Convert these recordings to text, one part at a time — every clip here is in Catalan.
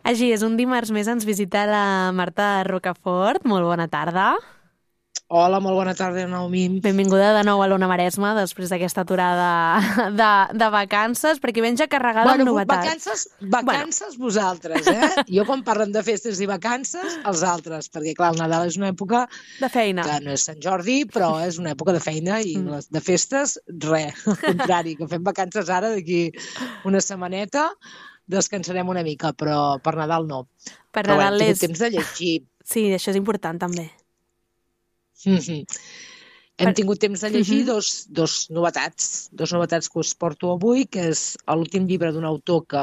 Així és, un dimarts més ens visita la Marta Rocafort. Molt bona tarda. Hola, molt bona tarda, Naomi. Benvinguda de nou a l'Ona Maresma després d'aquesta aturada de vacances, perquè vens ja carregada amb novetats. Vacances vosaltres, Jo quan parlen de festes i vacances, els altres, perquè clar, el Nadal és una època de feina. Que no és Sant Jordi, però és una època de feina i de festes, res, al contrari, que fem vacances ara d'aquí una setmaneta, descansarem una mica, però per Nadal no. Per però Nadal hem tingut temps de llegir. Sí, això és important també. Hem tingut temps de llegir dos novetats que us porto avui, que és l'últim llibre d'un autor que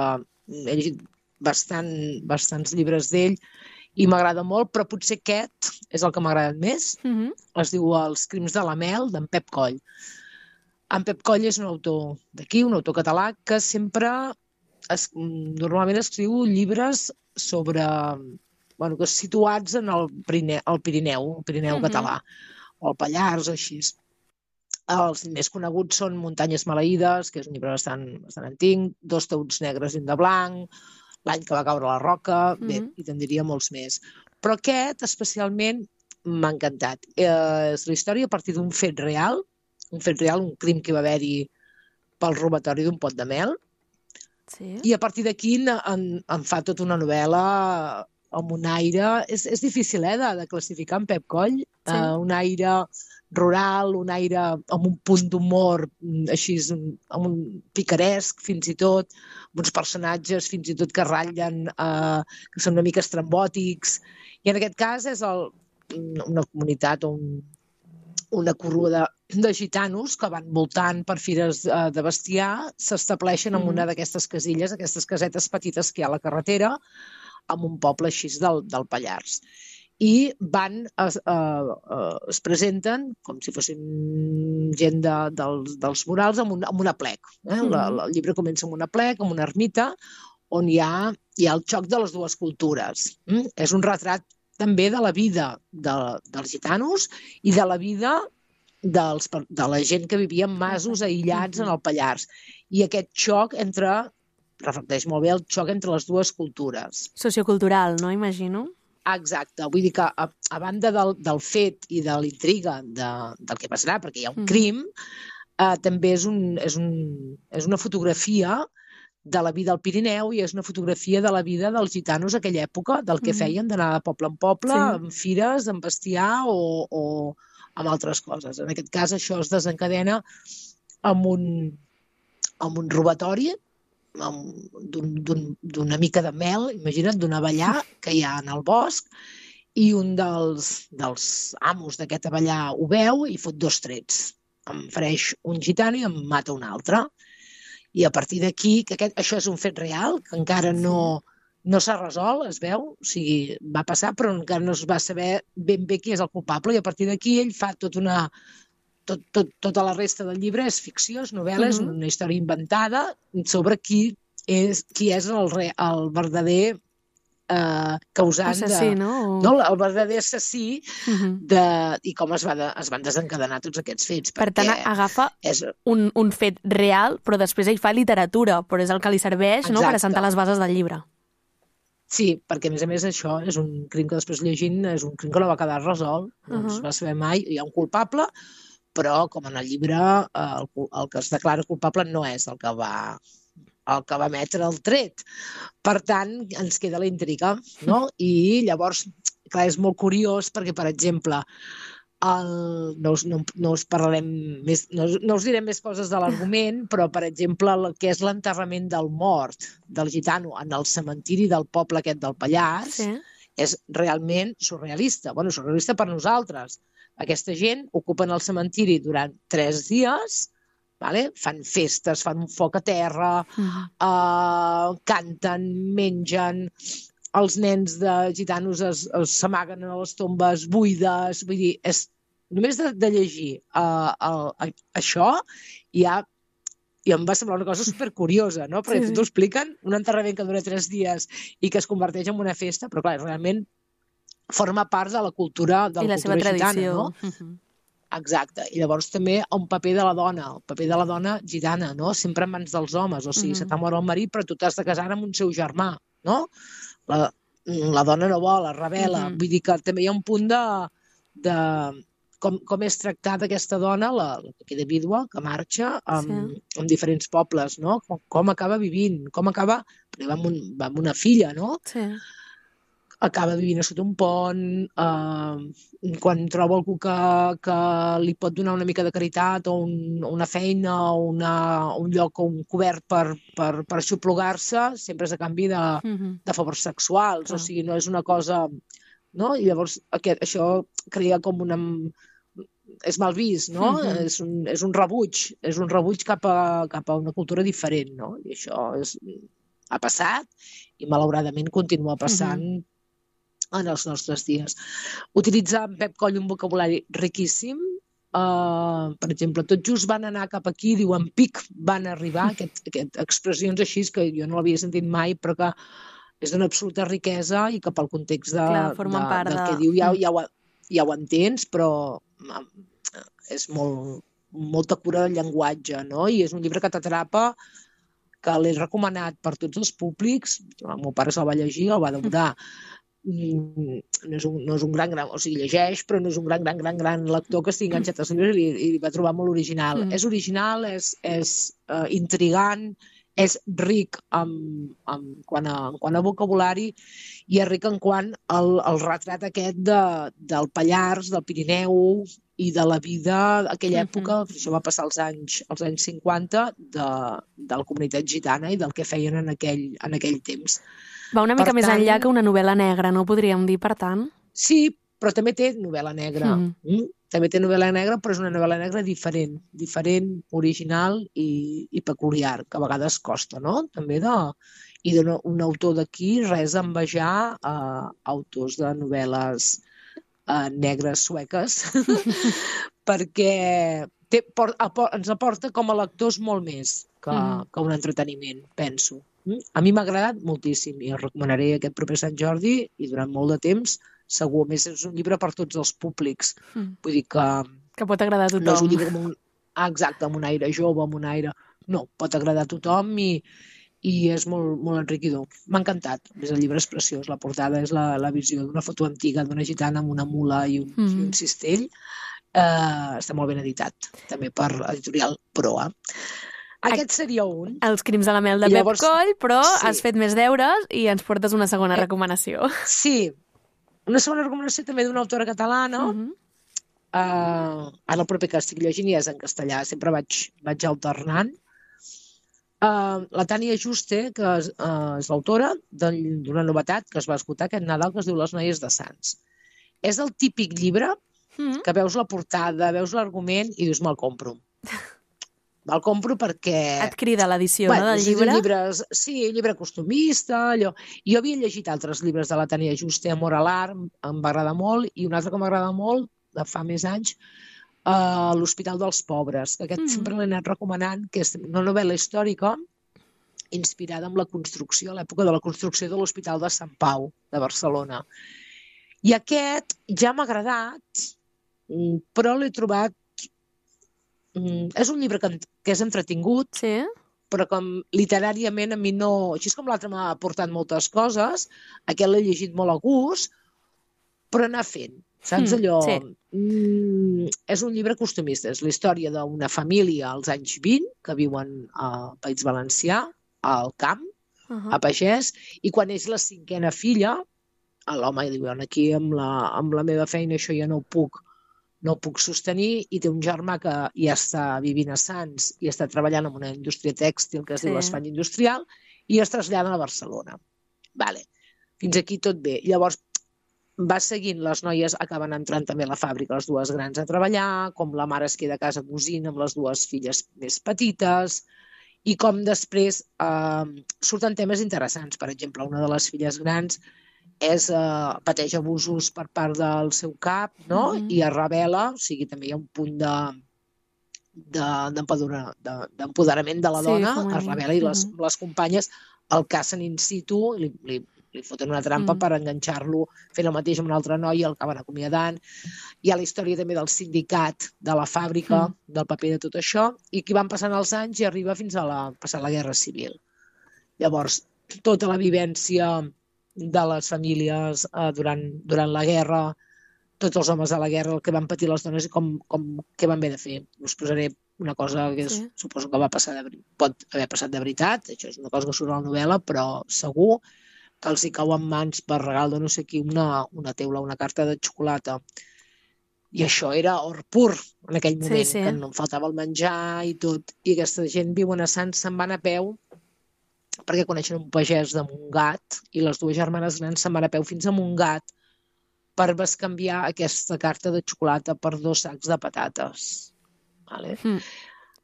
he llegit bastants llibres d'ell i m'agrada molt, però potser aquest és el que m'ha agradat més. Es diu Els crims de la Mel, d'en Pep Coll. En Pep Coll és un autor d'aquí, un autor català, que normalment escriu llibres sobre... que situats en el Pirineu català, o el Pallars, o així. Els més coneguts són Muntanyes maleïdes, que és un llibre bastant antic, Dos taüts negres i un de blanc, L'any que va caure la roca, bé, i te'n diria molts més. Però aquest, especialment, m'ha encantat. És la història a partir d'un fet real, un crim que va haver-hi pel robatori d'un pot de mel, i a partir d'aquí en fa tota una novel·la amb un aire... És difícil, de classificar en Pep Coll. Un aire rural, un aire amb un punt d'humor així, amb un picaresc fins i tot, amb uns personatges fins i tot que ratllen, que són una mica estrambòtics. I en aquest cas és una comunitat, una corrua de gitanos que van voltant per fires de bestiar, s'estableixen en una d'aquestes casilles, aquestes casetes petites que hi ha a la carretera, en un poble així del Pallars. I es presenten com si fossin gent dels murals amb un aplec. El llibre comença amb un aplec, amb una ermita, on hi ha el xoc de les dues cultures. És un retrat també de la vida dels gitanos i de la vida de la gent que vivia en masos aïllats en el Pallars. I aquest xoc reflecteix molt bé el xoc entre les dues cultures. Sociocultural, no? Imagino. Exacte. Vull dir que, a banda del fet i de l'intriga del que passarà, perquè hi ha un crim, també és una fotografia de la vida al Pirineu i és una fotografia de la vida dels gitanos a aquella època, del que feien d'anar de poble en poble, amb fires, amb bestiar o amb altres coses. En aquest cas, això es desencadena amb un robatori d'una mica de mel, imagina't, d'un abellar que hi ha en el bosc, i un dels amos d'aquest abellar ho veu i fot 2 trets. Em fereix un gitano i em mata un altre. I a partir d'aquí, que això és un fet real, que encara no s'ha resolt, es veu, o sigui, va passar, però encara no es va saber ben bé qui és el culpable, i a partir d'aquí ell fa tota la resta del llibre és ficció, és novel·la, és una història inventada sobre qui és el verdader causant assassí, no? El verdader assassí i com es van desencadenar tots aquests fets. Per tant, agafa un fet real, però després ell fa literatura, però és el que li serveix per assentar les bases del llibre. Sí, perquè a més això és un crim que després llegint és un crim que no va quedar resolt, no es va saber mai, hi ha un culpable, però com en el llibre el que es declara culpable no és el que va emetre el tret. Per tant, ens queda la intriga, no? I llavors, clar, és molt curiós perquè, per exemple, no us parlarem més, no us direm més coses de l'argument, però, per exemple, el que és l'enterrament del mort del gitano en el cementiri del poble aquest del Pallars és realment surrealista. Bueno, surrealista per nosaltres. Aquesta gent ocupen el cementiri durant 3 dies, fan festes, fan un foc a terra, canten, mengen, els nens de gitanos s'amaguen a les tombes buides, vull dir, només de llegir això ja em va semblar una cosa supercuriosa, no? Perquè t'ho expliquen, un enterrament que dura 3 dies i que es converteix en una festa, però clar, realment forma part de la cultura i la seva tradició, no? Exacte. I llavors també el paper de la dona gitana, no? Sempre en mans dels homes, o sigui, se t'ha mort el marit, però tu t'has de casar amb un seu germà, no? la dona no vol, es rebel·la. Vull dir que també hi ha un punt de com és tractada aquesta dona, la que queda vídua, que marxa amb diferents pobles, no? Com acaba vivint, com acaba... Perquè va amb una filla, no? Sí. Acaba vivint a sota un pont, quan troba algú que li pot donar una mica de caritat o una feina o un lloc o un cobert per aixoplugar-se, sempre és a canvi de favors sexuals, o sigui, no és una cosa... No? I llavors això crea com una... És mal vist, no? És un rebuig cap a una cultura diferent, no? I això ha passat i malauradament continua passant en els nostres dies. Utilitza en Pep Coll un vocabulari riquíssim. Per exemple, tot just van anar cap aquí, diuen pic, van arribar, expressions així que jo no l'havia sentit mai, però que és d'una absoluta riquesa i que pel context del que diu ja ho entens, però és molta cura del llenguatge, no? I és un llibre que t'atrapa, que l'he recomanat per tots els públics. El meu pare se'l va llegir, el va devorar. No és un gran, o sigui, llegeix, però no és un gran lector que estigui enganxat als llibres i va trobar molt original. És original, és intrigant, és ric quant a vocabulari i és ric en quant al retrat aquest del Pallars, del Pirineu i de la vida d'aquella època, això va passar als anys 50, de la comunitat gitana i del que feien en aquell temps. Va una mica més enllà que una novel·la negra, no podríem dir, per tant? Sí, però també té novel·la negra. També té novel·la negra, però és una novel·la negra diferent, original i peculiar, que a vegades costa, no? També i d'un autor d'aquí, res a envejar autors de novel·les negres sueques, perquè ens aporta com a lectors molt més que un entreteniment, penso. A mi m'ha agradat moltíssim i el recomanaré aquest proper Sant Jordi i durant molt de temps, segur. A més, és un llibre per tots els públics. Vull dir que pot agradar a tothom. No és un llibre amb un aire jove, amb un aire... No, pot agradar a tothom i és molt, molt enriquidor. M'ha encantat. A més, el llibre és preciós. La portada és la visió d'una foto antiga d'una gitana amb una mula i un cistell. Està molt ben editat, també per editorial Proa. Aquest seria un. Els crims de la mel de Pep Coll, però has fet més deures i ens portes una segona recomanació. Sí, una segona recomanació també d'una autora catalana. Ara el proper que estic llegint ja és en castellà, sempre vaig alternant. La Tània Juste, que és l'autora d'una novetat que es va esgotar aquest Nadal, que es diu Les noies de Sants. És el típic llibre que veus la portada, veus l'argument i dius, me'l compro. Me'l compro perquè... Et crida l'edició, no, del llibre? Sí, llibre costumista, allò. Jo havia llegit altres llibres de la Tània Juste, Amor a l'art, em va agradar molt, i un altre que m'agrada molt, de fa més anys, L'Hospital dels Pobres, que aquest sempre l'he anat recomanant, que és una novel·la històrica inspirada en la construcció, a l'època de la construcció de l'Hospital de Sant Pau, de Barcelona. I aquest ja m'ha agradat, però l'he trobat... És un llibre que és entretingut, però com literàriament a mi no... Així com l'altre m'ha aportat moltes coses, aquest l'he llegit molt a gust, però anar fent. Saps allò? És un llibre costumista. És la història d'una família als anys 20 que viuen al País Valencià, al camp, a pagès, i quan és la 5a filla, l'home diu, aquí amb la meva feina això ja no ho puc sostenir, i té un germà que ja està vivint a Sants i està treballant en una indústria tèxtil que es diu l'Espanya Industrial, i es traslladen a Barcelona. Fins aquí tot bé. Llavors, va seguint, les noies acaben entrant també a la fàbrica, les dues grans a treballar, com la mare es queda a casa cosint amb les dues filles més petites, i com després surten temes interessants. Per exemple, una de les filles grans pateix abusos per part del seu cap, no? I es rebel·la, o sigui, també hi ha un punt d'empoderament de la dona, es rebel·la i les companyes el cacen in situ, li foten una trampa per enganxar-lo, fent el mateix amb una altra noia, el acaben acomiadant. Hi ha la història també del sindicat, de la fàbrica, del paper de tot això, i que van passant els anys i arriba fins a passar la Guerra Civil. Llavors, tota la vivència de les famílies durant la guerra, tots els homes de la guerra, el que van patir les dones i què van haver de fer. Us posaré una cosa que suposo que pot haver passat de veritat, això és una cosa que surt a la novel·la, però segur que els hi cau en mans per regal de no sé qui una teula, una carta de xocolata. I això era or pur en aquell moment, que no em faltava el menjar i tot. I aquesta gent viuen a Sants, se'n van a peu perquè coneixen un pagès de Montgat i les dues germanes grans se'n van a peu fins a Montgat per bescanviar aquesta carta de xocolata per 2 sacs de patates. Vale?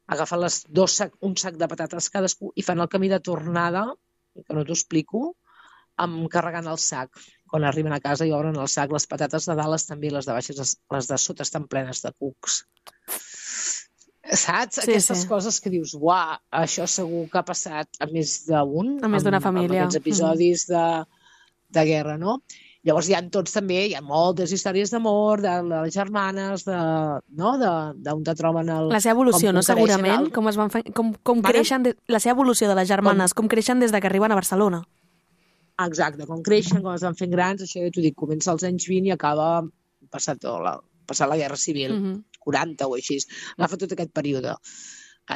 Agafen un sac de patates cadascú i fan el camí de tornada, que no t'ho explico, carregant el sac. Quan arriben a casa i obren el sac, les patates de dalt estan bé, les de baix, les de sota estan plenes de cucs. Saps? Aquestes coses que dius, uah, això segur que ha passat a més d'un. A més d'una família. Amb aquests episodis de guerra, no? Llavors hi ha moltes històries d'amor, de les germanes, d'on te troben el... La seva evolució, no? Segurament, com es van fer, com creixen... La seva evolució de les germanes, com creixen des que arriben a Barcelona. Exacte, com creixen, com es van fent grans, això ja t'ho dic, comença als anys 20 i acaba passat la Guerra Civil, 40 o així. Agafa tot aquest període.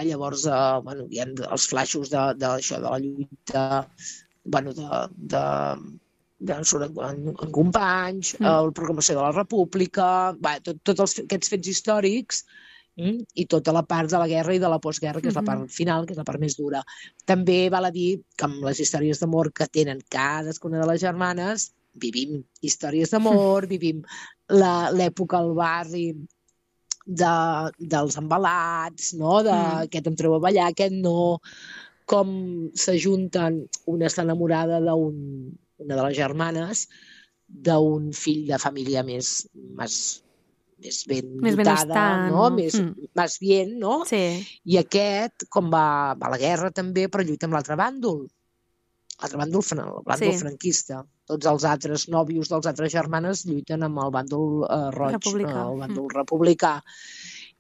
Llavors, hi ha els flaixos d'això, de la lluita, en companys, la proclamació de la República, tots aquests fets històrics i tota la part de la guerra i de la postguerra, que és la part final, que és la part més dura. També val a dir que amb les històries d'amor que tenen cadascuna de les germanes, vivim històries d'amor, vivim l'època al barri dels embalats, no? Aquest em treu a ballar, aquest no, com s'ajunten, una està enamorada una de les germanes, d'un fill de família més ben dotada, no? Més bien, no? Sí. I aquest, com va a la guerra també, però lluita amb l'altre bàndol. L'altre bàndol, el bàndol franquista. Tots els altres nòvios dels altres germanes lluiten amb el bàndol roig, el bàndol republicà.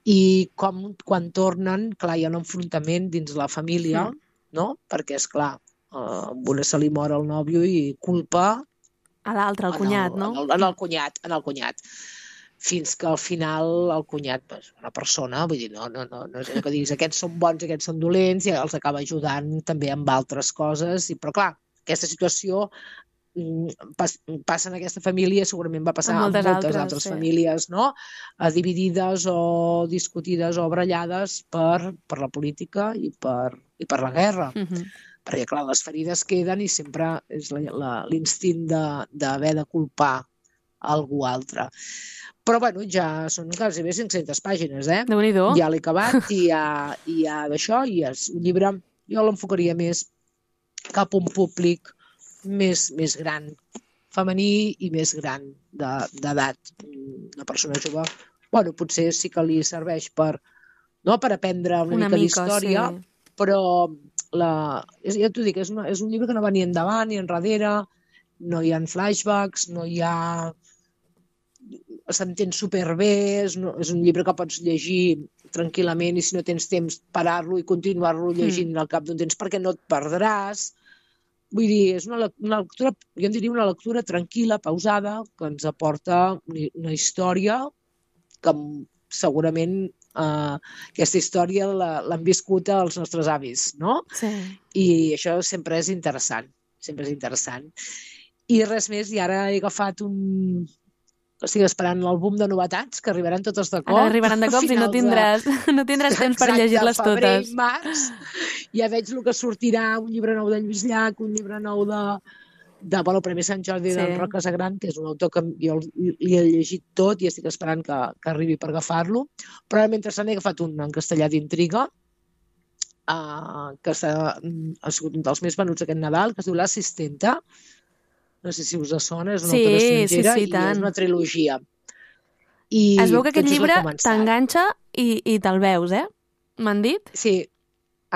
I quan tornen, clar, hi ha un enfrontament dins la família, no? Perquè, esclar, a una se li mor el nòvio i culpa a l'altre, el cunyat, no? En el cunyat. Fins que al final el cunyat és una persona, vull dir, no és allò que diguis, aquests són bons, aquests són dolents, i els acaba ajudant també amb altres coses. Però clar, aquesta situació passa en aquesta família, segurament va passar en moltes altres famílies, no? Dividides o discutides o barallades per la política i per la guerra. Perquè, clar, les ferides queden i sempre és l'instint d'haver de culpar algú altre. Però, bueno, ja són quasi bé 500 pàgines, Déu-n'hi-do. Ja l'he acabat i hi ha d'això, i és un llibre, jo l'enfocaria més cap a un públic més gran, femení i més gran d'edat. Una persona jove, bueno, potser sí que li serveix per aprendre una mica d'història, però ja t'ho dic, és un llibre que no va ni endavant ni enrere, no hi ha flashbacks, no hi ha... s'entén superbé, és un llibre que pots llegir tranquil·lament i si no tens temps parar-lo i continuar-lo llegint al cap d'un temps perquè no et perdràs. Vull dir, és una lectura, jo en diria una lectura tranquil·la, pausada, que ens aporta una història que segurament aquesta història l'han viscut els nostres avis, no? Sí. I això sempre és interessant, I res més, i ara he agafat estic esperant l'àlbum de novetats, que arribaran totes de cop. Ara arribaran de cop i no tindràs temps per llegir-les totes. Febrer i març. Ja veig el que sortirà, un llibre nou de Lluís Llach, un llibre nou de Premi Sant Jordi d'en Roc Casagran, que és un autor que jo li he llegit tot i estic esperant que arribi per agafar-lo. Però mentrestant he agafat un en castellà d'Intriga, que ha sigut un dels més venuts aquest Nadal, que es diu L'Assistenta. No sé si us sona, és una autora estrangera i és una trilogia. Es veu que aquest llibre t'enganxa i te'l veus, M'han dit? Sí,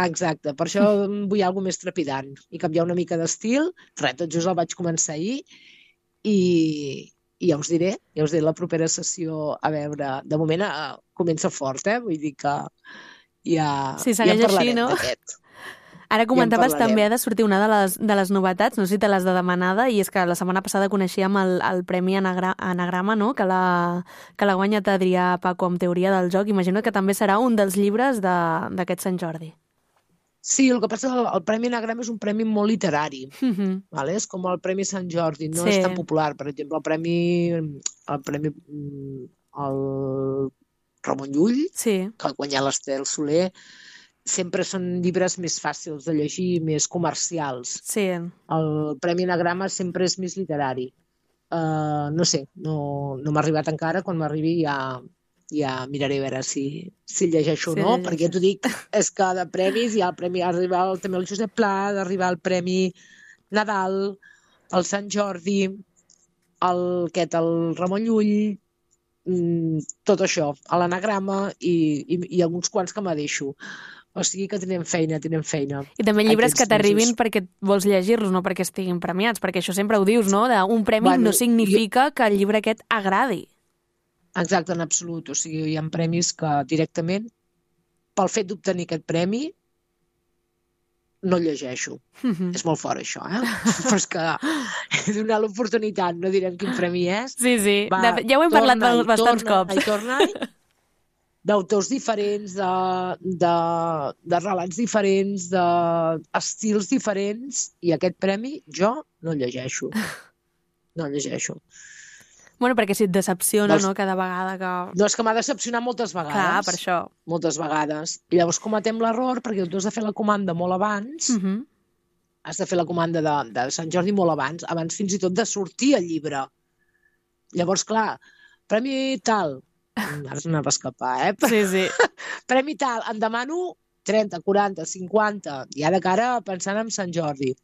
exacte. Per això vull alguna més trepidant i canviar una mica d'estil. Tot just el vaig començar ahir i ja us diré la propera sessió a veure. De moment comença fort, vull dir que ja si segueix així, no? D'aquest. Ara comentaves també ha de sortir una de les novetats, no sé si te l'has de demanada, i és que la setmana passada coneixíem el Premi Anagrama, no? que l'ha guanyat Adrià Paco amb Teoria del joc. Imagino que també serà un dels llibres d'aquest Sant Jordi. Sí, el que passa és que el Premi Anagrama és un premi molt literari. Vale? És com el Premi Sant Jordi, no és tan popular. Per exemple, el premi el Ramon Llull, que ha guanyat l'Estel Soler, sempre són llibres més fàcils de llegir, més comercials. Sí. El Premi Anagrama sempre és més literari. No sé, no m'ha arribat encara. Quan m'arribi ja miraré a veure si llegeixo o no, perquè t'ho dic, és que de premis hi ha el premi, ha d'arribar també el Josep Pla, ha d'arribar el Premi Nadal, el Sant Jordi, el Ramon Llull, tot això, a l'Anagrama i alguns quants que me deixo. O sigui que tenim feina. I també llibres que t'arribin perquè vols llegir-los, no perquè estiguin premiats, perquè això sempre ho dius, no? Un premi no significa que el llibre aquest agradi. Exacte, en absolut. O sigui, hi ha premis que directament, pel fet d'obtenir aquest premi, no llegeixo. És molt fort, això, Però és que he donat l'oportunitat, no direm quin premi és. Sí. Ja ho hem parlat bastants cops. Torna-hi. D'autors diferents, de relats diferents, d'estils diferents, i aquest premi jo no llegeixo. No llegeixo. Bueno, perquè si et decepciona, no?, cada vegada que... No, és que m'ha decepcionat moltes vegades. Clar, per això. Moltes vegades. I llavors cometem l'error, perquè tu has de fer la comanda molt abans, has de fer la comanda de Sant Jordi molt abans fins i tot de sortir el llibre. Llavors, clar, premi tal... Ara s'anava a escapar, Sí. Premi tal, em demano 30, 40, 50, ja de cara pensant en Sant Jordi.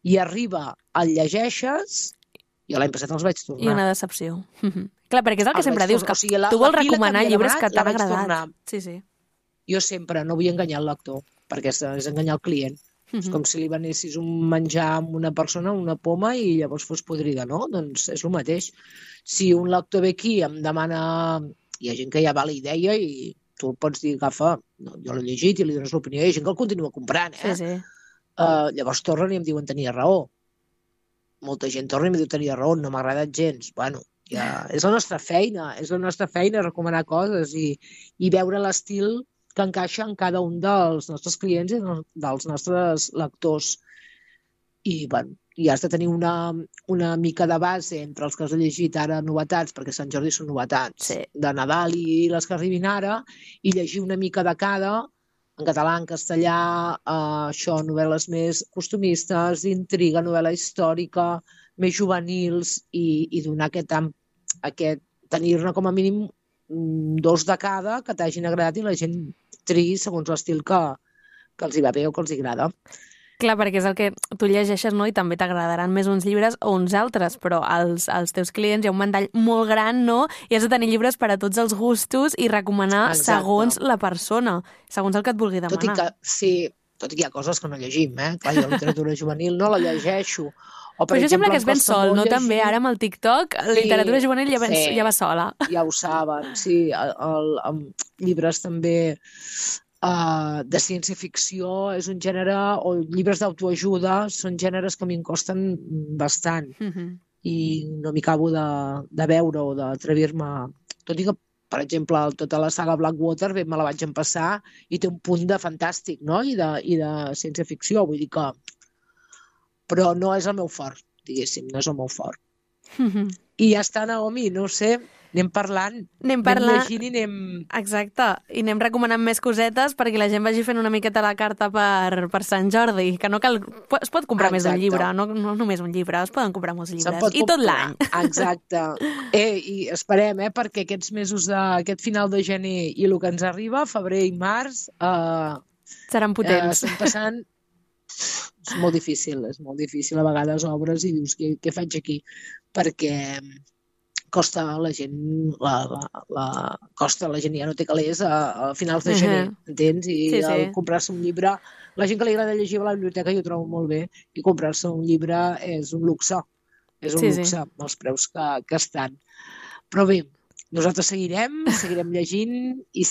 I arriba, el llegeixes, jo l'any passat els vaig tornar. I una decepció. Clar, perquè és el que sempre dius, que tu vols recomanar llibres que t'han agradat. Sí. Jo sempre no vull enganyar el lector, perquè és enganyar el client. És com si li venessis un menjar a una persona, una poma, i llavors fos podrida, no? Doncs és el mateix. Si un lector ve aquí i em demana... Hi ha gent que ja va a la idea i tu pots dir, agafa, no, jo l'he llegit i li dones l'opinió, hi ha gent que el continua comprant, Sí. Llavors tornen i em diuen tenia raó. Molta gent torna i em diu tenia raó, no m'ha agradat gens. Bueno, ja és la nostra feina recomanar coses i veure l'estil que encaixa en cada un dels nostres clients i dels nostres lectors. I, bueno, i has de tenir una mica de base entre els que has llegit ara novetats, perquè Sant Jordi són novetats de Nadal i les que arribin ara, i llegir una mica de cada, en català, en castellà, això, novel·les més costumistes, d'intriga, novel·la històrica, més juvenils, i donar tenir-ne com a mínim 2 de cada que t'hagin agradat i la gent triï segons l'estil que els hi va bé o que els hi agrada. Clar, perquè és el que tu llegeixes, no? I també t'agradaran més uns llibres o uns altres, però als teus clients hi ha un ventall molt gran, no? I has de tenir llibres per a tots els gustos i recomanar segons la persona, segons el que et vulgui demanar. Tot i que hi ha coses que no llegim, Clar, jo la literatura juvenil no la llegeixo. Però això sembla que es ven sol, no? També ara amb el TikTok, la literatura juvenil ja va sola. Ja ho saben, sí. Llibres també... de ciència-ficció és un gènere, o llibres d'autoajuda són gèneres que a mi em costen bastant i no m'hi acabo de veure o d'atrevir-me, tot i que per exemple tota la saga Blackwater me la vaig empassar i té un punt de fantàstic, no? I de ciència-ficció, vull dir que però no és el meu fort, diguéssim, no és el meu fort. I ja està, Naomi, no ho sé, anem parlant, anem llegint i anem... Exacte, i anem recomanant més cosetes perquè la gent vagi fent una miqueta la carta per Sant Jordi, que no cal... Es pot comprar més d'un llibre, no només un llibre, es poden comprar molts llibres, i tot l'any. Exacte. I esperem, perquè aquests mesos d'aquest final de gener i el que ens arriba, febrer i març... seran potents. Estem passant... És molt difícil a vegades obres i dius què faig aquí, perquè costa a la gent ja no té calés a finals de gener, entens? I comprar-se un llibre, la gent que li agrada llegir a la biblioteca jo ho trobo molt bé, i comprar-se un llibre és un luxe, els preus que estan. Però bé, nosaltres seguirem llegint i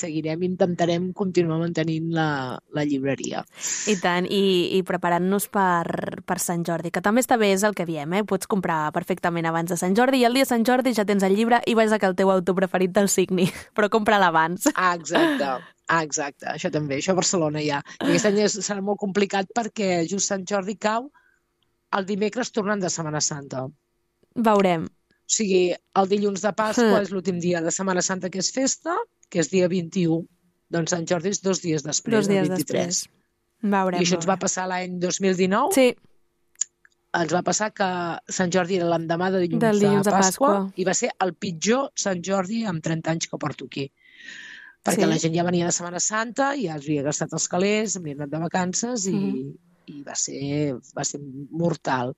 intentarem continuar mantenint la llibreria. I tant, i preparant-nos per Sant Jordi, que també està bé, és el que diem, pots comprar perfectament abans de Sant Jordi i el dia de Sant Jordi ja tens el llibre i vas a que el teu autor preferit te'l signi, però compra-la abans. Exacte, això també, això a Barcelona ja. I aquest any serà molt complicat perquè just Sant Jordi cau el dimecres tornant de Setmana Santa. Veurem. O sigui, el dilluns de Pasqua és l'últim dia de Setmana Santa que és festa, que és dia 21. Doncs Sant Jordi és 2 dies després, el 23. Després. Veurem. I això ens va passar l'any 2019. Sí. Ens va passar que Sant Jordi era l'endemà de dilluns de Pasqua i va ser el pitjor Sant Jordi amb 30 anys que porto aquí. Perquè la gent ja venia de Setmana Santa, ja es havia gastat els calés, havia anat de vacances i va ser mortal.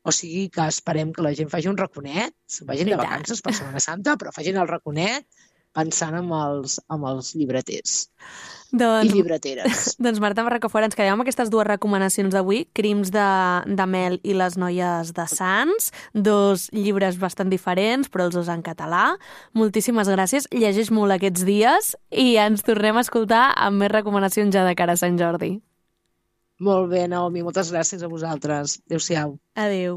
O sigui que esperem que la gent faci un raconet, vagin de vacances per Setmana Santa, però facin el raconet pensant en els llibreters i llibreteres. Doncs Marta Rocafort, ens quedem amb aquestes 2 recomanacions d'avui, Crims de Mel i Les noies de Sants, 2 llibres bastant diferents, però els 2 en català. Moltíssimes gràcies, llegeix molt aquests dies i ens tornem a escoltar amb més recomanacions ja de cara a Sant Jordi. Molt bé, Naomi, moltes gràcies a vosaltres. Adéu-siau. Adéu.